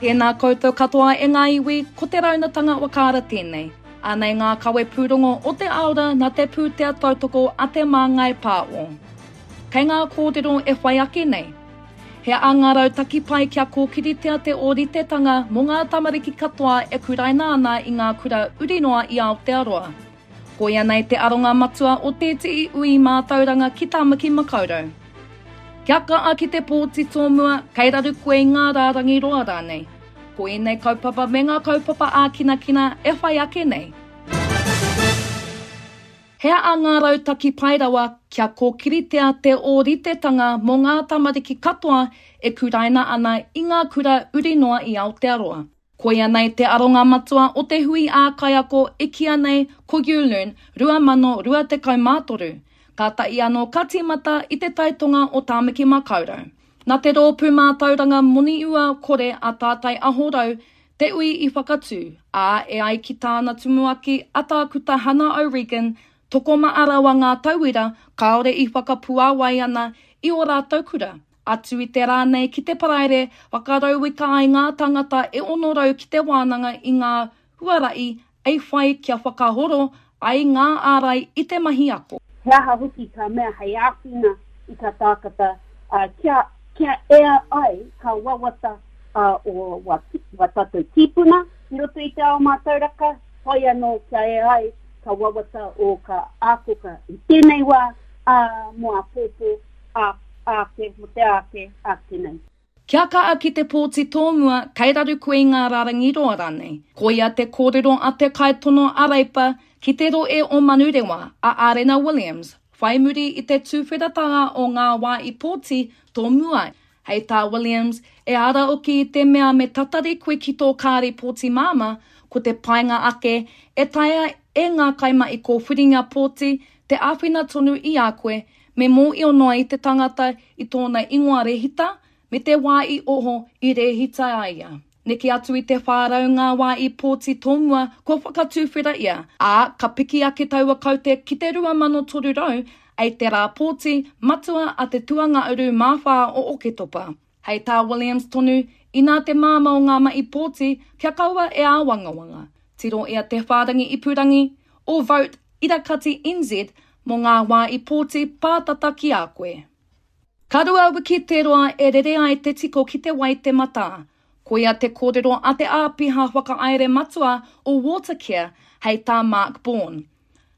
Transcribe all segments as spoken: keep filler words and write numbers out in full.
Tēnā koutou katoa e ngā iwi, ko te raunatanga wakaara tēnei. Anei ngā kawe pūrongo o te aora nā te pūtea tautoko a te Māngai Pāo. Kei ngā kōrero e whai ake nei. He aha ngā rautaki pai kia kōkiritea te ōritetanga mō ngā tamariki katoa e kuraina ana i ngā kura uri noa i Aotearoa. Koia nei te aronga matua o tētehi ui mātauranga ki Tāmaki Makaurau. Kia kaha ki te pōti tōmua, kei raru koe i ngā rārangi roa rānei. Ko ēnei kaupapa me ngā kaupapa ākinakina e whai ake nei. He aha ngā rautaki pai rawa kia kōkiritea te ōritetanga mō ngā tamariki katoa e kuraina ana i ngā kura uri noa i Aotearoa. Koia nei te aronga matua o te hui ā-kaiako e kīia nei ko YouLearn rua mano rua tekau mā toru, kātahi anō ka tīmata i te taitonga o Tāmaki Makaurau. Nā te rōpū mātauranga moniua kore a Tātai Aho Rau te ui i whakatū, ā, e ai ki tāna tumuaki a Tākuta Hana O'Regan, tokomaha rawa ngā tauira kāore i whakapuāwai ana i ō rātou kura. Atu i te rā nei ki te Paraire, whakarauika ai ngā tāngata e ono rau ki te wānanga i ngā huarahi ei whai kia whakahoro ai ngā ārai i te mahi ako. He aha hoki ka mea hei āwhina i ka tākata kia, kia ea ai ka wawata o wa, wa tātou tīpuna i roto i te ao mātauraka, whai anō kia ea ai ka wawata o ka ākoka i tēnei wā, ā, mō āpōpō, ā, āke, mō te āke, āke nei. Kia kaha ki te pōti tōmua, kei raru koe i ngā rārangi roa rānei. Koia te kōrero a te kaitono a Reipa ki te rohe o Manurewa, a Arena Williams, whai muri i te tūwheratanga o ngā wā i pōti tōmua. Hei tā Williams, e ara oki i te mea me tatari koe ki tō kāri pōti māmā, ko te painga ake e taea e ngā kaimahi kōwhiringa pōti te āwhina tonu i a koe, me mōhio noa i te tangata i tōna ingoa rehita, me te wā i oho i rehita ai ia. Neke atu i te whā rau ngā wā i pōti tōmua kua whakatūwhera ia, ā, ka piki ake taua kaute ki te rua mano toru rau ei te rā pōti matua a te tuangauru mā whā o Oketopa. Hei tā Williams tonu, inā te māmā o ngā mahi pōti kia kaua e āwangawanga. Tiro ia te whārangi ipurangi o Vote Irakati N Z mō ngā wā i pōti pātata ki a koe. Ka rua wiki te roa e rere ai te tiko ki te wai te matā. Koia te kōrero a te āpiha whakahaere matua o Watercare hei tā Mark Bourne.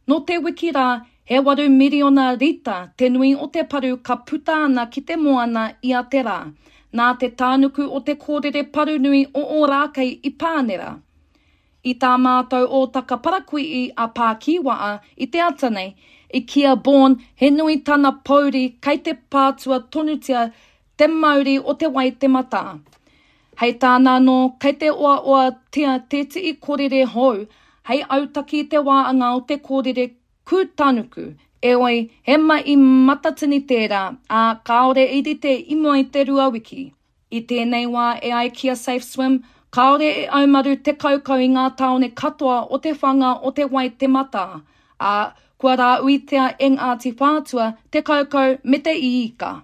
Nō te wiki rā, he waru miriona rita te nui o te paru ka puta ana ki te moana i a te rā, nā te tānuku o te kōrere paru nui o Ōrākei i Pānera. I tā mātou ōtaka parakuihi a Pākīwaa i te ata nei, i kī a Bourne he nui tana pouri kei te pātua tonutia te mauri o te wai te matā. Hei tāna anō, kei te oaoatia tētehi kōrere hou, hei autaki i te wāanga o te kōrere kūtanuku, eoi, he mahi matatini tērā, ā, kāore i rite i mua i te rua wiki. I tēnei wā e ai ki a Safe Swim, kāore e aumaru te kaukau i ngā tāone katoa o te whanga o te wai te matā, ā, kua rāuitia e Ngāti Whātua te kaukau me te iika.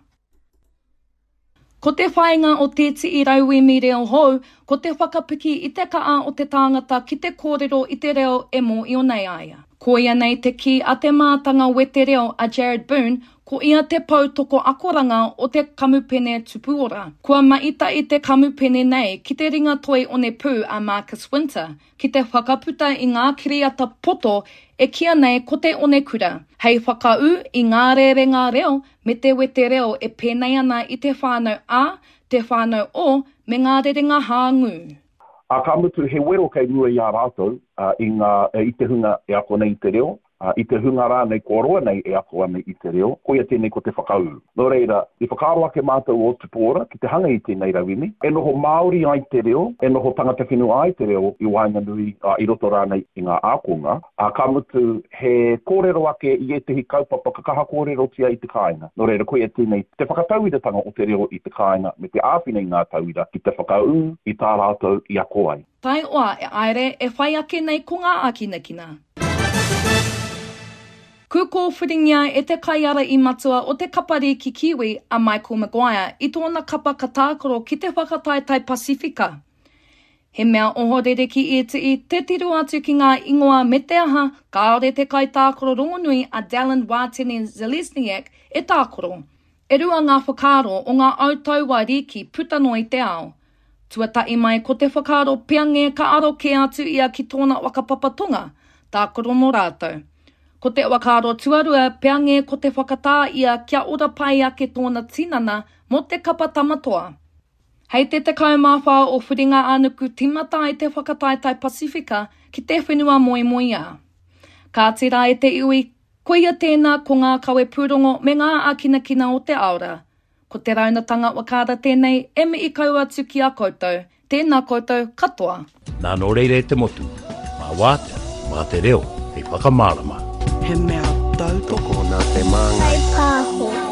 Ko te whāinga o tētehi rauemi reo hou, ko te whakapiki i te kaha o te tāngata ki te kōrero i te reo e mōhio nei a ia. Koia nei te kī a te mātanga wete reo a Jared Boone, ko ia te poutoko akoranga o te kamupene Tupuora. Kua maita i te kamupene nei ki te ringa toi onepū a Marcus Winter, ki te whakaputa i ngā kiriata poto e kīia nei ko te onekura, hei whakaū i ngā rerenga reo me te wete reo e pēnei ana i te whānau A, te whānau O, me ngā rerenga hāngū. Ā, ka mutu he wero kei mua i a rātou, i ngā, i te hunga e ako nei i te reo, i te hunga rānei kua roa nei e ako ana i te reo, koia tēnei ko te whakaū. Nō reira, i whakaaro ake mātou o Tupuora ki te hanga i tēnei rauemi, e noho Māori ai te reo, e noho tangata whenua ai te reo i waenganui, i roto rānei i ngā ākonga, ā, ka mutu he kōrero ake i ētehi kaupapa ka kaha kōrerotia i te kāinga. Nō reira, koia tēnei te whakatauiratanga o te reo i te kāinga me te āwhina i ngā tauira ki te whakaū i tā rātou i ako ai. Taioa e aere e whai ake nei ko ngā ākinakina. Ku kōwhiringia e te kaiara i matua o te kapariki Kiwi a Michael Maguire i tōna kapa ka tākaro ki te whakataetae Pasifika. He mea ohorere ki ētehi te tiro atu ki ngā ingoa me te aha kāore te kaitākaro rongonui a Dallin Watene-Zelezniak e tākaro. E rua ngā whakaaro o ngā autaua rīki puta noa i te ao. Tuatahi mai ko te whakaaro peange ka aro kē atu ia ki tōna whakapapa Tonga, tākaro mō rātou. Ko te whakaaro tuarua peange ko te whakatā ia kia ora pai ake tōna tinana mō te kapa Tama Toa. Hei te tekau mā whā o Whiringa-ā-nuku tīmata ai te whakataetae Pasifika ki te whenua moemoeā. Kāti rā e te iwi, koia tēnā ko ngā kawepūrongo me ngā ākinakina o te ao rā. Ko te raunatanga whakaara tēnei e mihi kau atu ki a koutou, tēnā koutou katoa. Nā nō reira e te motu, mā wātea, mā te reo, hei whakamārama. He mea tautoko Nā Te Māngai. Pāho.